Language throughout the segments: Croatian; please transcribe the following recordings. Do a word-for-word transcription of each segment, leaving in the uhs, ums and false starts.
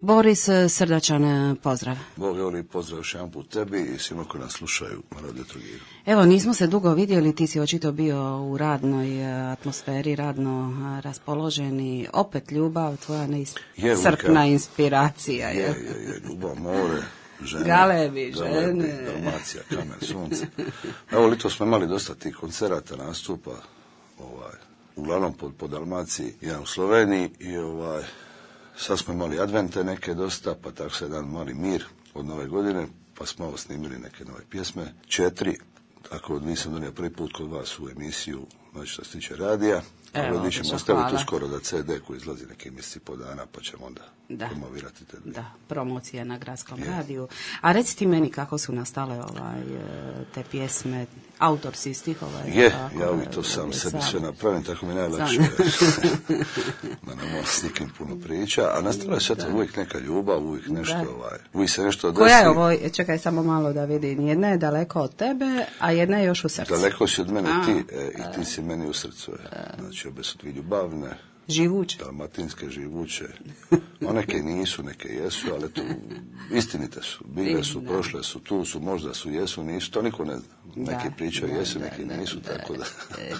Boris, srdačan pozdrav. Bog je pozdrav još jedan put tebi i svima koji nas slušaju na Radio Trogiru. Evo, nismo se dugo vidjeli, ti si očito bio u radnoj atmosferi, radno raspoloženi, opet ljubav, tvoja neiscrpna inspiracija. Je, je, je, ljubav, more, žene, galebi, galebi, žene, Dalmacija, kamen, sunce. Evo, lito smo imali dosta tih koncerata, nastupa, ovaj, uglavnom po, po Dalmaciji, jedan u Sloveniji i ovaj, sad smo imali advente neke dosta, pa tako se jedan mali mir od nove godine, pa smo ovo snimili neke nove pjesme, četiri, tako nisam donio prvi put kod vas u emisiju, znači što se tiče radija, ali mi ćemo ostaviti uskoro da ce de koji izlazi neke mjeseci po dana, pa ćemo onda da. promovirati te dvije. Da, promocija na Gradskom je. radiju. A reci ti meni kako su nastale ovaj, te pjesme, autor si stihova? Je, tako, ja uvijek to sam sebi sve napravim, tako mi najlakše da ne moram s nikim puno priča, a nastala je sve to uvijek neka ljubav, uvijek nešto, ovaj, uvijek se nešto desi. Koja je ovo, čekaj samo malo da vidim, jedna je daleko od tebe, a jedna je još u srcu. Daleko si od mene a, ti e, i ti si meni u srcu. Je. Znači, obe su dvije ljubavne, živuće, dalmatinske, živuće. No, neke nisu, neke jesu, ali to istinite su. Bile su, da. Prošle su, tu su, možda su, jesu, nisu, to niko ne zna. Neki pričaju da, jesu, da, neki da, nisu, da, tako da.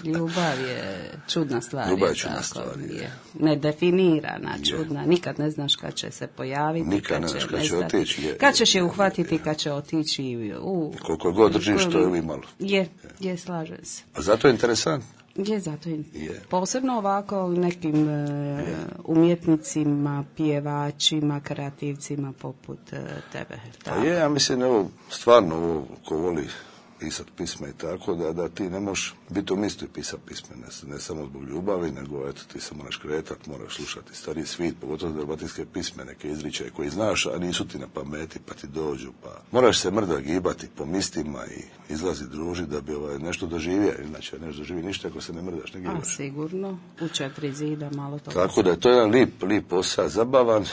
Ljubav je čudna stvar. Ljubav je je čudna tako, stvar. Je. Je. Nedefinirana, čudna. Nikad ne znaš kad će se pojaviti. Nikad ne znaš kad će otići. Je, kad ćeš je uhvatiti, je, kad će otići. U, koliko god držiš, to je uvijek malo. Je, je, slažem se. A zato je interesantno. Je, zato je. je. Posebno ovako nekim uh, umjetnicima, pjevačima, kreativcima poput uh, tebe. A je, ja mislim, evo, stvarno ovo ko voli pisat pisme i tako, da, da ti ne možeš biti u mistu i pisat pisme, ne, ne samo zbog ljubavi, nego eto, ti se moraš kretat, moraš slušati stariji svit, pogotovo dalmatinske pisme, neke izričaje koji znaš, a nisu ti na pameti, pa ti dođu, pa moraš se mrda gibati po mistima i izlazi družiti da bi ovaj, nešto doživio, inače nešto doživi ništa ako se ne mrdaš, ne gibaš. A sigurno, u četiri zida malo to. Tako da je to jedan lip, lip posao, zabavan.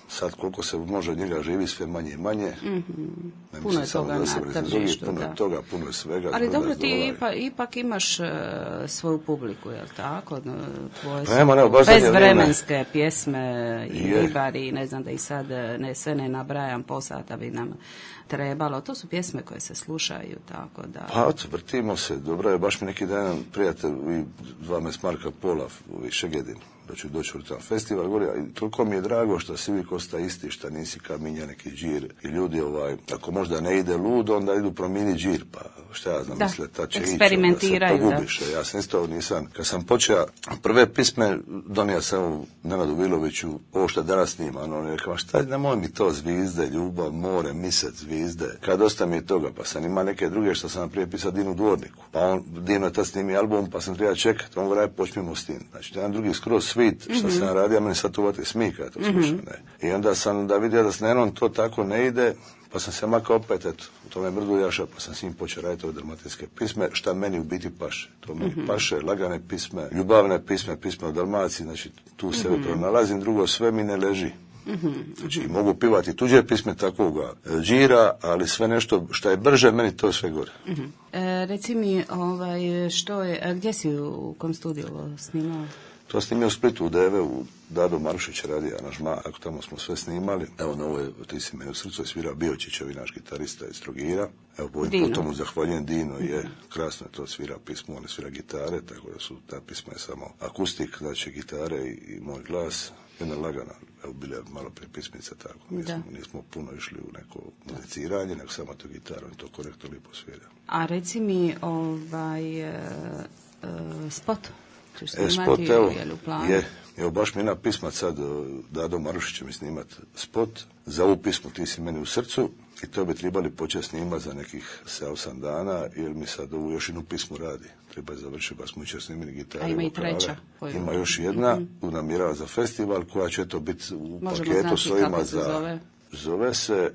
Sad koliko se može od njega živi, sve manje i manje. Mm-hmm. Puno je toga na tržištu. Puno je toga, puno je svega. Ali dobro, ti ipak, ipak imaš uh, svoju publiku, je li tako? Tvoje pa nema, ne, bezvremenske ne. Pjesme i ribari, ne znam da i sad ne, sve ne nabrajam, po sata bi nam trebalo. To su pjesme koje se slušaju, tako da... Pa, vrtimo se, dobro je, baš mi neki dan prijatelj, vi dva mes Marka Pola, ovi Šegedin, da ću doći u tam festival, govori, i toliko mi je drago što si uvijek osta isti, što nisi kaminja, neki džir, i ljudi, ovaj, ako možda ne ide ludo, onda idu promini džir, pa šta ja znam, misle, ta će ići, onda se pogubiš. Da. Ja sam isto nisam, kad sam počeo prve pisme, donio sam u Nenadu Viloviću, ovo što danas snima, ono, on je rekao, šta, nemoj mi to, zvizde, ljubav, more, misec, zvizde, kad dosta mi je toga, pa sam ima neke druge što sam prije pisao Dinu Dvorniku, pa on, Dino je tad snimi album, pa sam treba čekati, on govori, počnimo s tim, znači, jedan drugi skroz svit, što mm-hmm. sam radio, meni sad uvati smika, to slušam, mm-hmm. ne. I onda sam da vidio da s Nenom to tako ne ide, pa sam se makao opet, eto, u tome mrdu jaša, pa sam s njim počeo raditi ove dalmatinske pisme, šta meni u biti paše. To meni mm-hmm. paše, lagane pisme, ljubavne pisme, pisme o Dalmaciji, znači tu se mm-hmm. pronalazim, drugo sve mi ne leži. Mm-hmm. Znači, mogu pivati tuđe pisme takvoga džira, ali sve nešto što je brže, meni to sve gore. Mm-hmm. E, reci mi, ovaj, što je, gdje si u kom studiju snimao? To snimio u Splitu, u Deve, u Dado Marušić radi aranžma, ako tamo smo sve snimali. Evo, na ovo je, ti si meni u srcu je svirao Biočićevi, naš gitarista iz Trogira. Evo, po ovim potom mu zahvaljujem, Dino je, krasno je to svira pismo, on je svira gitare, tako da su, ta pisma je samo akustik, znači gitare i, i moj glas. Jedna lagana, evo, bile malo prije pismice, tako. Nismo, nismo puno išli u neko muziciranje, nego samo to gitarom i to korektno lipo svira. A reci mi, ovaj, uh, uh, spot? E, spot, evo, je, evo, baš mi jedna pisma sad, Dado Marušić će mi snimat spot, za ovu pismu Ti si meni u srcu, i to bi trebali početi snimat za nekih sedam osam dana, jer mi sad ovu još jednu pismu radi. Treba je završiti, pa smo jučer snimili gitare. A ima i treća. Ima još jedna, mm-hmm. namirava za festival, koja će to biti u možemo paketu s ovima za... Zove? Zove se,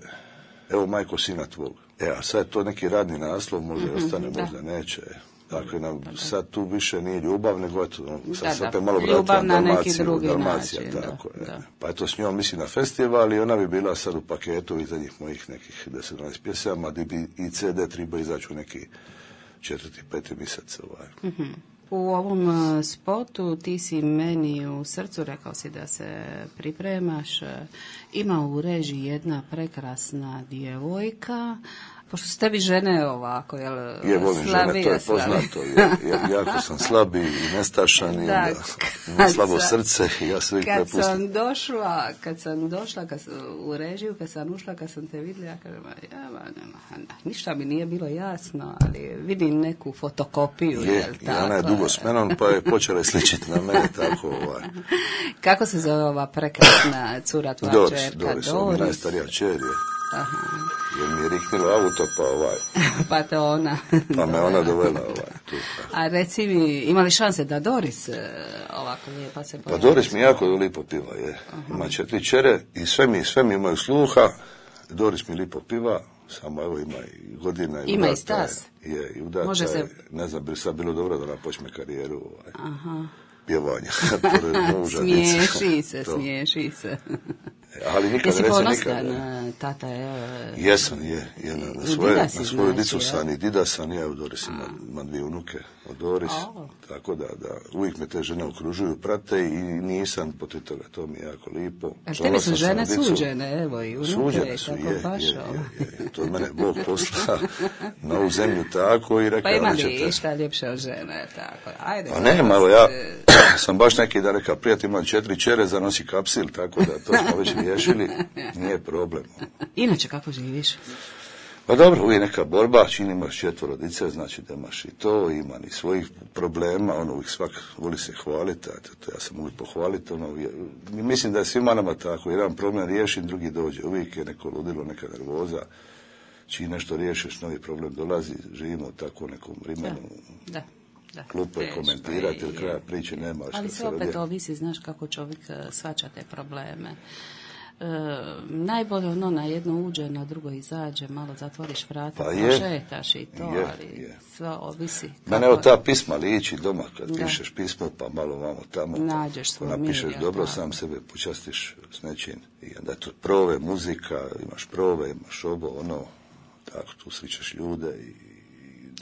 evo, Majko sina tvog. E, a sad je to neki radni naslov, možda mm-hmm, ostane, da. Možda neće. Dakle, nam sad tu više nije ljubav, nego eto, sad da, se opet da. malo vratila Dalmaciju, Dalmacija, način, tako da, je. Da. Pa eto, s njom mislim na festival i ona bi bila sad u paketu iza njih mojih nekih deset dvanaest pjesama, gdje bi i ce de treba izaći u neki četvrti, peti mjesec. Ovaj. Mm-hmm. U ovom spotu ti si meni u srcu, rekao si da se pripremaš, ima u režiji jedna prekrasna djevojka, pošto su tebi žene ovako, jel? Je, volim žene, to je poznato. Ja, ja, jako sam slabi i nestašan i da, onda imam slabo sam, srce i ja se uvijek prepustim. Kad sam došla, kad sam došla kad, u režiju, kad sam ušla, kad sam te vidjela, ja kažem, ja, nema, ništa mi nije bilo jasno, ali vidim neku fotokopiju. Je, jel, i ona je dugo s menom, pa je počela sličiti na mene, tako ovaj. Kako se zove ova prekrasna cura tvoja Doris, čerka? Doris, Doris, najstarija čer je. Aha. Jer mi je riknilo auto, pa ovaj... pa te ona... pa me ona dovela ovaj, tu. A reci mi, ima li šanse da Doris ovako lijepa se pojavi? Pa Doris mi jako lipo piva, je. Aha. Ima četiri čere i sve mi, sve mi imaju sluha. Doris mi lipo piva, samo evo ima i godina. I ima i stas. Je, i udata. Može se... Ne znam, bi sad bilo dobro da ona počne karijeru ovaj, Aha. pjevanja. Smiješi se, smiješi se. Ali nikad, jesi recimo, ponostan, nikad, tata je... Jesam, je, je na, na, svoje, na svoju dicu sam i dida sam, ja u Doris ima, ima dvije unuke od Doris, oh. tako da, da uvijek me te žene okružuju, prate i nisam protiv toga, to mi je jako lipo. A tebi su žene suđene, evo i unuke, suđene su, tako je, baš, je, je, je, to je mene Bog posla na ovu zemlju tako i rekao... Pa ima li išta ljepše od žene, tako, ajde. A ne, malo ja sam baš neki dan rekao, prijatelj imam četiri čere, zanosi kapsil, tako da to smo već riješili, nije problem. Inače, kako živiš? Pa dobro, uvijek neka borba, čini imaš četvoro dice, znači da imaš i to, ima i svojih problema, ono uvijek svak voli se hvaliti, to ja sam uvijek pohvaliti, ono, mislim da je svima nama tako, jedan problem riješim, drugi dođe, uvijek je neko ludilo, neka nervoza, čini nešto riješiš, novi problem dolazi, živimo u tako nekom vremenu. Da, da. Da, klupe komentirati ili kraja priče nema. Ali sve opet ovisi, znaš kako čovjek shvaća te probleme. E, najbolje ono na jedno uđe, na drugo izađe, malo zatvoriš vrata, pa šetaš i to, je, ali je. Sve ovisi. Kako... Mene evo ta pisma liči doma, kad da. pišeš pismo, pa malo vamo tamo, nađeš svoj mir. Napišeš dobro, tako. Sam sebe počastiš s nečim. I onda tu prove, muzika, imaš prove, imaš ovo, ono, tako, tu sličaš ljude i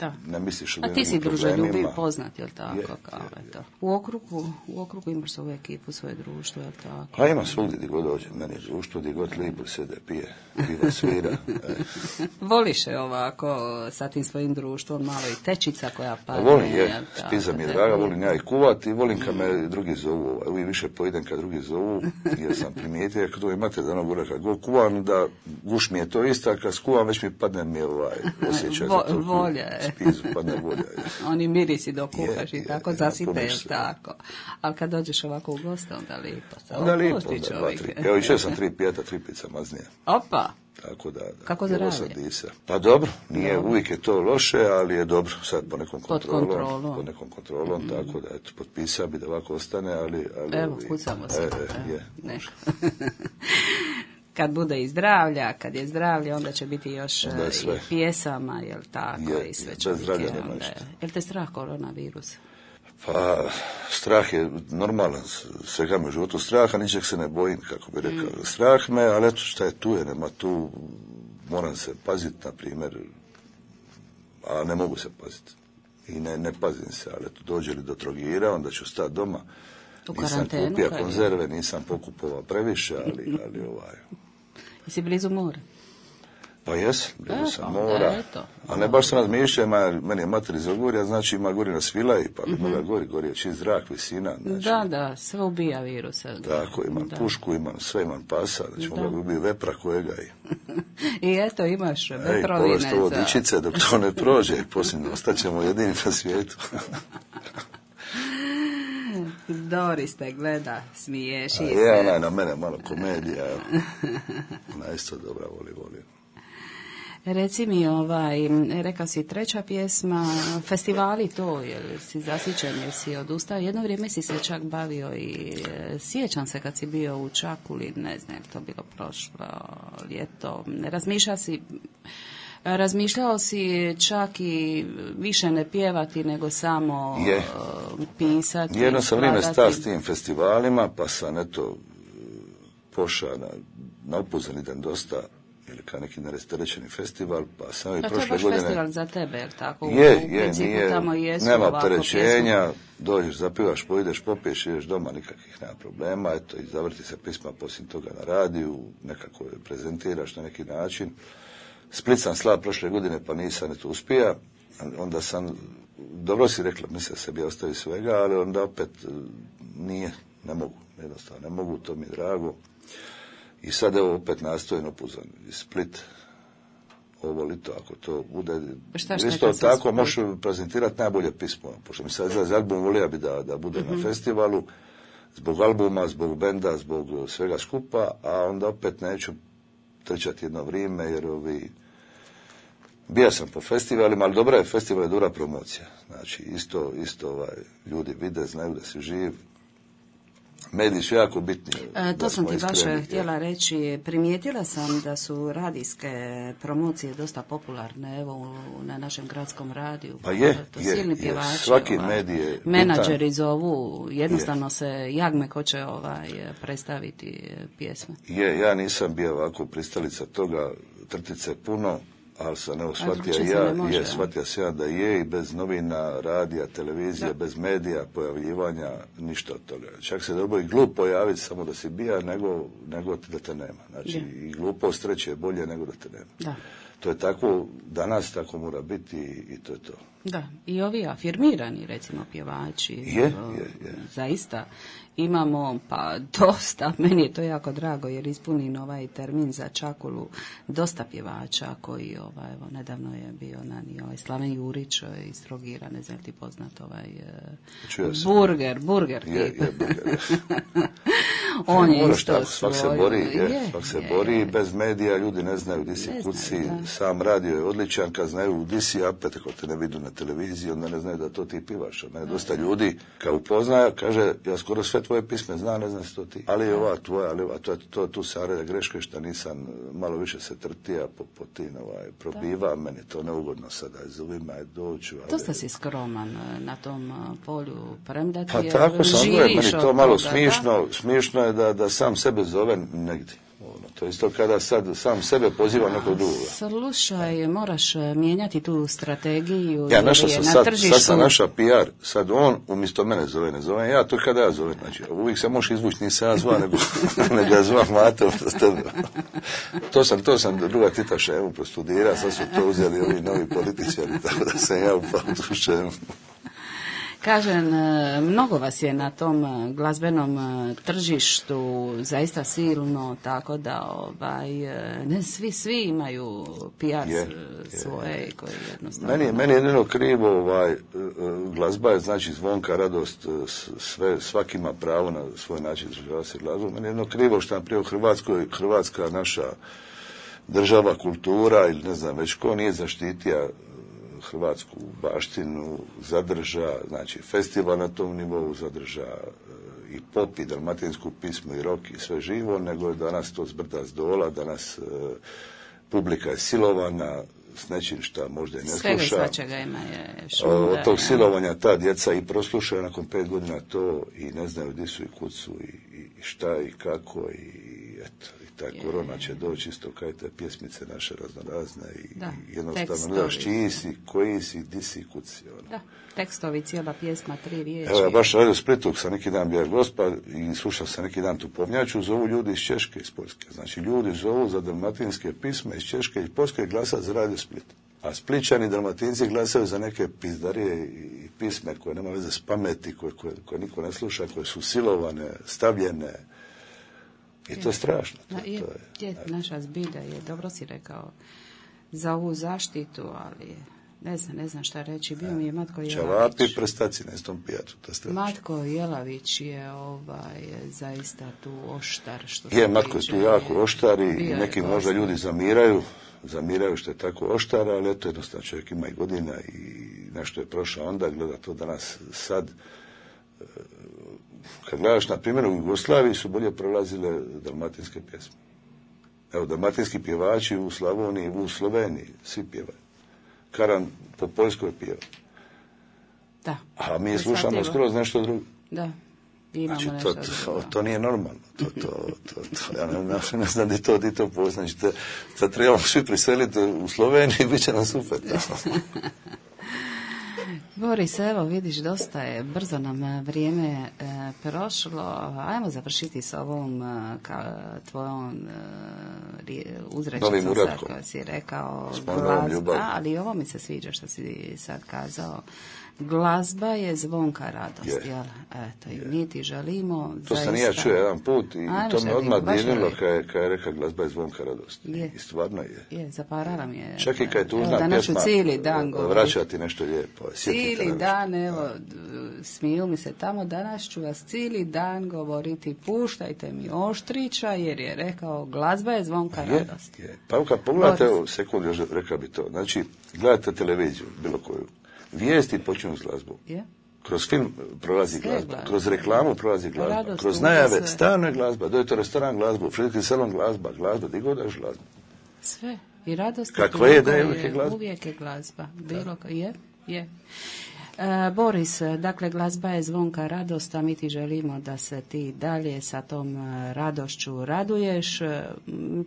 da. Ne misliš o a ti si druželjubiv poznat, jel tako? Je, kao je, je. To. U okrugu, u okrugu imaš svoju ekipu, svoje društvo, jel tako? Pa ima svugdje gdje god dođe, meni je društvo, gdje god lipo sede, pije, piva, svira. Voliš je ovako sa tim svojim društvom, malo i tečica koja padne. Pa volim, je, spiza mi je draga, volim ja i kuvati, volim kad me drugi zovu, uvijek više pojedem kad drugi zovu, jer sam primijetio, kad imate da ono gore, kad go kuvam, da guš mi je to isto, kad skuvam, već mi padne mi ovaj osjećaj Vo, za to. Volja spizu, padne volja. Oni mirisi dok kuhaš i tako, zasipeš tako. Ali kad dođeš ovako u goste, onda lipo. Onda lipo, da, dva, tri. Evo, išao sam tri pijeta, tri pica maznija. Opa! Tako da, da. Kako zdravlje? Pa dobro, nije dobro. Uvijek je to loše, ali je dobro sad po nekom kontrolom. Pod kontrolom. Po nekom kontrolom, mm. tako da, eto, potpisao bi da ovako ostane, ali... ali evo, kucamo se. E, e, je, nešto. Kad bude i zdravlja, kad je zdravlje, onda će biti još i pjesama, jel tako, je, i sve će biti. Jel te strah koronavirus? Pa, strah je normalan, svega me u životu straha, ničeg se ne bojim, kako bi rekao. Mm. Strah me, ali eto šta je tu, je, nema tu, moram se paziti, na primjer, a ne mogu se paziti. I ne, ne pazim se, ali eto, dođe li do Trogira, onda ću stati doma. U nisam kupio konzerve, nisam pokupovao previše, ali, ali ovaj... Jesi blizu mora? Pa jes, blizu sam mora. A ne baš sam razmišljao, meni je mater iz Ogorja, znači ima gori na Svilaj, pa mm-hmm. moga gori, gori je čist zrak, visina. Znači, da, da, sve ubija virusa. Tako, imam da. pušku, imam sve, imam pasa, znači moga bi ubio vepra kojega i... I eto, imaš vetrovine. Ej, povest ovo dičice, dok to ne prođe, posljedno, ostaćemo jedini na svijetu. Doris te gleda, smiješi se. Je, ona je na mene malo komedija, evo. Ona je isto dobra, voli, voli. Reci mi, ovaj, rekao si treća pjesma, festivali to, jel si zasićen, jel si odustao? Jedno vrijeme si se čak bavio i sjećam se kad si bio u Čakuli, ne znam, to bilo prošlo ljeto, razmišljao si... Razmišljao si čak i više ne pjevati, nego samo je. pisati. Jedno sam vrijeme stao s tim festivalima, pa sam eto pošao na, na upoznanidan dosta, ili kao neki nerasterećeni festival, pa sam i da, prošle godine... To je baš godine... festival za tebe, je tako? Je, u je, nije, tamo jesu nema opterećenja, dođeš, zapivaš, pojdeš, popiješ, ideš doma, nikakvih nema problema, eto, i zavrti se pisma poslije toga na radiju, nekako je prezentiraš na neki način. Split sam slab prošle godine, pa nisam eto uspija, onda sam, dobro si rekla, mislim da se bi ostavi svega, ali onda opet nije, ne mogu, jednostavno ne mogu, to mi je drago. I sad evo opet nastojim opuzan Split, ovo lito, ako to bude, šta, isto tako možeš prezentirati najbolje pismo, pošto mi sad izlazi album, volio bi da, da bude mm-hmm. na festivalu, zbog albuma, zbog benda, zbog svega skupa, a onda opet neću trčati jedno vrijeme, jer ovi, bio sam po festivalima, ali dobra je festival, je dobra promocija, znači isto, isto ovaj, ljudi vide, znaju da si živ. Mediji su jako bitni. E, to sam ti baš htjela reći. Primijetila sam da su radijske promocije dosta popularne, evo, na našem gradskom radiju. Pa je, to je, silni je. Pjevači, Svaki ovaj, medij je menadžeri bitan. Zovu, jednostavno je. se jagme ko će ovaj, predstaviti pjesme. Je, ja nisam bio ovako pristalica toga, trtice puno, ali sam evo shvatio ja, može, je, shvatio sam ja da je i bez novina, radija, televizije, da. Bez medija, pojavljivanja, ništa od toga. Čak se dobro i glup pojaviti samo da si bija, nego, nego da te nema. Znači, da. I glupost reći je bolje nego da te nema. Da. To je tako, danas tako mora biti i, i to je to. Da, i ovi afirmirani, recimo, pjevači. Je, je, je. Zaista imamo, pa dosta, meni je to jako drago, jer ispunim ovaj termin za Čakulu, dosta pjevača koji, ovaj, evo, nedavno je bio na ni ovaj Slaven Jurić iz Trogira, ne znam ti poznat ovaj burger, burger. Je, je, burger. On je isto svak se bori, je, je, svak se je, bori je. Bez medija, ljudi ne znaju di si kuci, sam radio je odličan, kad znaju di si, opet ako te ne vidu na televiziji, onda ne znaju da to ti pivaš. Ne, dosta ljudi, kao upoznaja, kaže, ja skoro sve tvoje pisme znam, ne znam što ti, ali je ova tvoja, ali ova, to je to, tu sareda greške što nisam malo više se trtija po, po tin, ovaj, probiva, da. Meni to neugodno sada, zovima je doću. Ali... Dosta si skroman na tom polju, premda ti pa je, tako sam, živiš meni to malo toga, smišno, da? Smišno je da, da sam sebe zove negdje. To je isto kada sad sam sebe poziva nekog drugoga. Slušaj, moraš mijenjati tu strategiju. Ja našao sam na sad, tržištu... sad sam našao P R, sad on umjesto mene zove, ne zove ja, to kada ja zovem. Znači, uvijek se možeš izvući, nisam ja zva, nego, nego ja zva Mate. To sam, to sam druga Tita Ševu prostudirao, sad su to uzeli ovi novi političari, tako da sam ja upao tu Ševu. Kažem, mnogo vas je na tom glazbenom tržištu zaista silno, tako da ovaj, ne svi, svi imaju P R je, svoje je. Koji jednostavno... Meni, meni je jedino krivo, ovaj, glazba je znači zvonka, radost, sve, svaki ima pravo na svoj način izražavati se glazbu. Meni je jedino krivo što nam prije u Hrvatskoj, Hrvatska naša država, kultura ili ne znam već ko nije zaštitija hrvatsku baštinu, zadrža, znači festival na tom nivou zadrža e, i pop i dalmatinsku pismu i rock i sve živo, nego je danas to zbrda s dola, danas e, publika je silovana s nečim šta možda i ne Svega sluša. Svega i svačega ima je šuda. Od tog silovanja ta djeca i proslušaju nakon pet godina to i ne znaju gdje su i kud su i, i šta i kako i eto. Ta korona će doći isto kaj te pjesmice naše raznorazne i, da, i jednostavno ne znaš čiji si, koji si, di si, kud si. Ono. Da, tekstovi, cijela pjesma, tri riječi. Evo, ja baš radio Splitu, sam neki dan bio gospa i slušao sam neki dan tu povnjaču, zovu ljudi iz Češke, iz Poljske. Znači, ljudi zovu za dalmatinske pisme iz Češke i Poljske glasa za radio Split. A Spličani, dalmatinci glasaju za neke pizdarije i pisme koje nema veze s pameti, koje, koje, koje niko ne sluša, koje su silovane, stavljene. I to je strašno. To, Na, je, to je, je, naša zbilja je, dobro si rekao, za ovu zaštitu, ali ne znam, ne znam šta reći. Bio mi je Matko Jelavić. Čavapi prstaci na istom pijacu. Matko Jelavić je ovaj, zaista tu oštar. Što je, Matko je tu jako oštar i neki možda ljudi zamiraju, zamiraju što je tako oštar, ali eto jednostavno čovjek ima i godina i nešto je prošao onda, gleda to danas sad. Kad gledaš, na primjer, u Jugoslaviji su bolje prolazile dalmatinske pjesme. Evo, dalmatinski pjevači u Slavoniji, u Sloveniji, svi pjevaju. Karan po Poljskoj pjeva. Da. A mi slušamo skroz nešto drugo. Da. Imamo znači, nešto to, to, drugo. to nije normalno. To, to, to, to, ja ne, ne, ne znam di to, di to poznaš. Znači, sad trebamo svi priseliti u Sloveniji i bit će nam super. Boris, evo vidiš, dosta je, brzo nam vrijeme e, prošlo. Ajmo završiti s ovom e, ka, tvojom e, uzrečicom sad koja si rekao. Glazba, ali ovo mi se sviđa što si sad kazao. Glazba je zvonka radost, je. jel? Eto, i mi ti želimo to zaista... sam i ja čuo jedan put i Ajme, to me želim, odmah baš dirilo želim. kad je, kad je rekao glazba je zvonka radost. Je. I stvarno je. Je, zaparala mi je. Čak i kad je tužna evo, danas ću pjesma, cijeli dan govoriti. vraćati nešto lijepo. Cijeli dan, evo, smiju mi se tamo, danas ću vas cijeli dan govoriti, puštajte mi Oštrića, jer je rekao, glazba je zvonka je, radost. Je. Pa kad pogledate, evo, sekund, još rekao bi to, znači, gledate televiziju, bilo koju, vijesti počinju s glazbom. Je. Kroz film prolazi Sve glazba, glazba. kroz reklamu prolazi glazba, Radost, kroz tuga, najave, sve. stalno je glazba, dojete u restoran glazbu, u frižideri salon glazba, glazba, di god daš glazbu. Sve. I radost. Kakva i je, tuga da je uvijek je glazba. Uvijek je glazba. Bilo ka, je, je. E, Boris, dakle, glazba je zvonka radost, a mi ti želimo da se ti dalje sa tom e, radošću raduješ. E,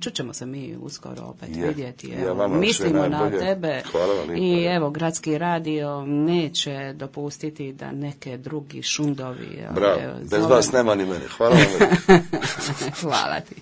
Čućemo se mi uskoro opet Je. vidjeti. Ja Evo, vama sve mislimo na najbolje. tebe. Hvala vam lijepo. I evo, Gradski radio neće dopustiti da neke drugi šundovi... Bravo, evo, bez zovemo. vas nema ni mene. Hvala vam. Hvala ti.